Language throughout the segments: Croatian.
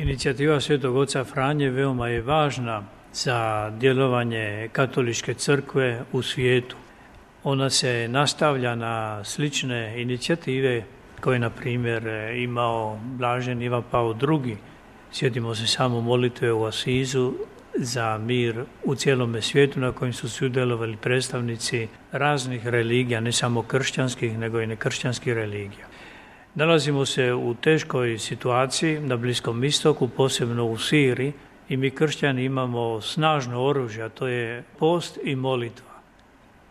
Inicijativa Svetog oca Franje veoma je važna za djelovanje katoličke crkve u svijetu. Ona se nastavlja na slične inicijative koje, na primjer, imao blaženi Ivan Pavao II. Sjetimo se samo molitve u Asizu za mir u cijelome svijetu na kojem su sudjelovali predstavnici raznih religija, ne samo kršćanskih, nego i nekršćanskih religija. Nalazimo se u teškoj situaciji na Bliskom istoku, posebno u Siriji, i mi kršćani imamo snažno oružje, a to je post i molitva.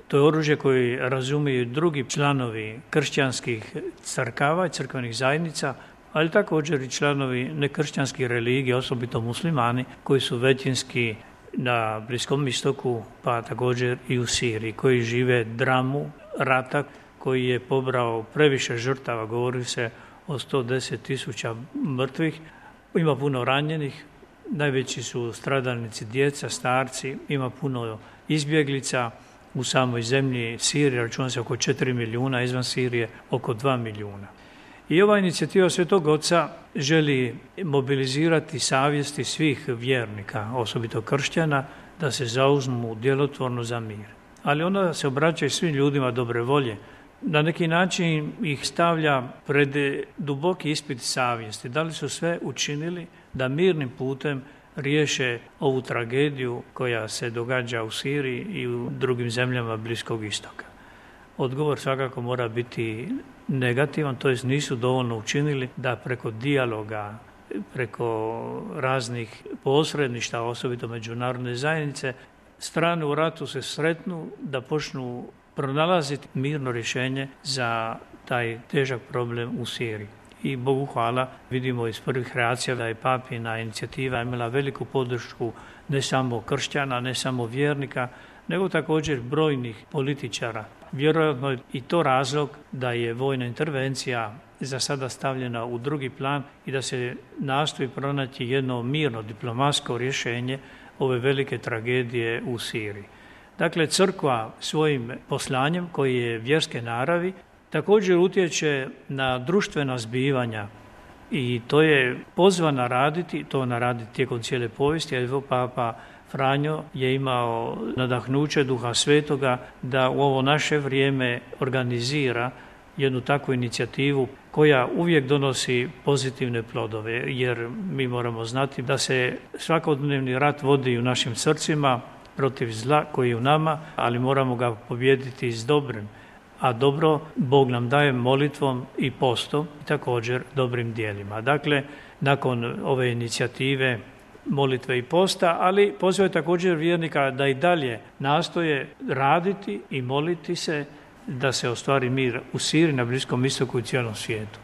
To je oružje koje razumiju drugi članovi kršćanskih crkava i crkvenih zajednica, ali također i članovi nekršćanskih religija, osobito muslimani, koji su većinski na Bliskom istoku, pa također i u Siriji, koji žive dramu rata koji je pobrao previše žrtava, govori se o 110.000 mrtvih, ima puno ranjenih, najveći su stradalnici djeca, starci, ima puno izbjeglica u samoj zemlji Sirije, računa se oko 4 milijuna, izvan Sirije oko 2 milijuna. I ova inicijativa Svetog Oca želi mobilizirati savjesti svih vjernika, osobito kršćana, da se zauzmu djelotvorno za mir. Ali ona se obraća i svim ljudima dobre volje. Na neki način ih stavlja pred duboki ispit savjesti. Da li su sve učinili da mirnim putem riješe ovu tragediju koja se događa u Siriji i u drugim zemljama Bliskog istoka? Odgovor svakako mora biti negativan, to jest nisu dovoljno učinili da preko dijaloga, preko raznih posredništva, osobito međunarodne zajednice, strane u ratu se sretnu, da počnu pronalaziti mirno rješenje za taj težak problem u Siriji. I Bogu hvala, vidimo iz prvih reakcija da je papina inicijativa imala veliku podršku ne samo kršćana, ne samo vjernika, nego također brojnih političara. Vjerojatno je i to razlog da je vojna intervencija za sada stavljena u drugi plan i da se nastoji pronaći jedno mirno diplomatsko rješenje ove velike tragedije u Siriji. Dakle, crkva svojim poslanjem, koji je vjerske naravi, također utječe na društvena zbivanja i to je pozvana raditi, to ona radi tijekom cijele povijesti, jer Papa Franjo je imao nadahnuće Duha Svetoga da u ovo naše vrijeme organizira jednu takvu inicijativu koja uvijek donosi pozitivne plodove, jer mi moramo znati da se svakodnevni rat vodi u našim srcima protiv zla koji je u nama, ali moramo ga pobijediti s dobrim. A dobro Bog nam daje molitvom i postom i također dobrim djelima. Dakle, nakon ove inicijative molitve i posta, ali poziva također vjernika da i dalje nastoje raditi i moliti se da se ostvari mir u Siriji, na Bliskom istoku i cijelom svijetu.